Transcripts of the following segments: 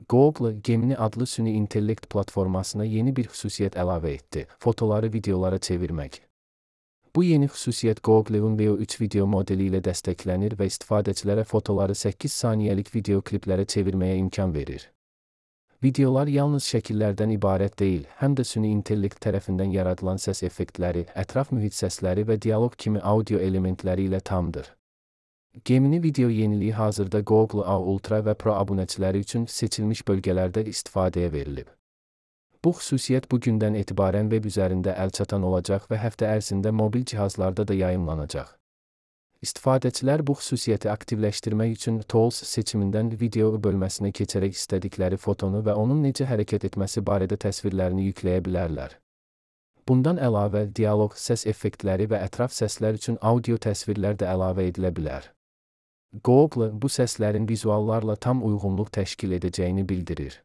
Google, Gemini adlı süni intellekt platformasına yeni bir xüsusiyyət əlavə etdi: fotoları videolara çevirmək. Bu yeni xüsusiyyət Google'un Veo 3 video modeli ilə dəstəklənir və istifadəçilərə fotoları 8 saniyəlik video kliplərə çevirməyə imkan verir. Videolar yalnız şəkillərdən ibarət deyil, həm də süni intellekt tərəfindən yaradılan səs effektləri, ətraf mühit səsləri və dialoq kimi audio elementləri ilə tamdır. Gemini video yeniliyi hazırda Google A Ultra və Pro abunəçiləri üçün seçilmiş bölgələrdə istifadəyə verilib. Bu xüsusiyyət bugündən etibarən web üzərində əlçatan olacaq və həftə ərzində mobil cihazlarda da yayımlanacaq. İstifadəçilər bu xüsusiyyəti aktivləşdirmək üçün Tools seçimindən video bölməsinə keçərək istədikləri fotonu və onun necə hərəkət etməsi barədə təsvirlərini yükləyə bilərlər. Bundan əlavə, dialoq, səs effektləri və ətraf səslər üçün audio təsvirlər də əlavə edilə bilər. Google bu səslərin vizuallarla tam uyğunluq təşkil edəcəyini bildirir.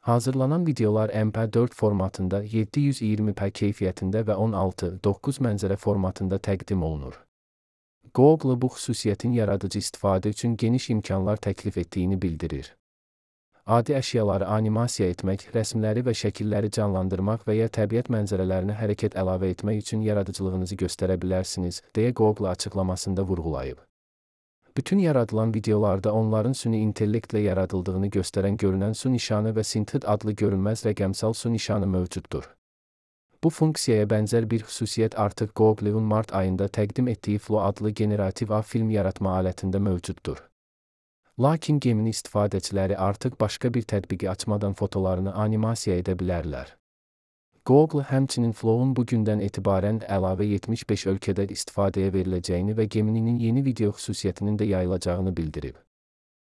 Hazırlanan videolar MP4 formatında 720p keyfiyyətində və 16:9 mənzərə formatında təqdim olunur. Google bu xüsusiyyətin yaradıcı istifadə üçün geniş imkanlar təklif etdiyini bildirir. Adi əşyaları animasiya etmək, rəsmləri və şəkilləri canlandırmaq və ya təbiət mənzərələrinə hərəkət əlavə etmək üçün yaradıcılığınızı göstərə bilərsiniz, deyə Google açıqlamasında vurğulayıb. Bütün yaradılan videolarda onların süni intellektlə yaradıldığını göstərən görünən su nişanı və Synthid adlı görünməz rəqəmsal su nişanı mövcuddur. Bu funksiyaya bənzər bir xüsusiyyət artıq Google'un mart ayında təqdim etdiyi Flow adlı generativ A film yaratma alətində mövcuddur. Lakin Gemini istifadəçiləri artıq başqa bir tətbiqi açmadan fotolarını animasiya edə bilərlər. Google həmçinin Flow'un bugündən etibarən əlavə 75 ölkədə istifadəyə veriləcəyini və Gemini'nin yeni video xüsusiyyətinin də yayılacağını bildirib.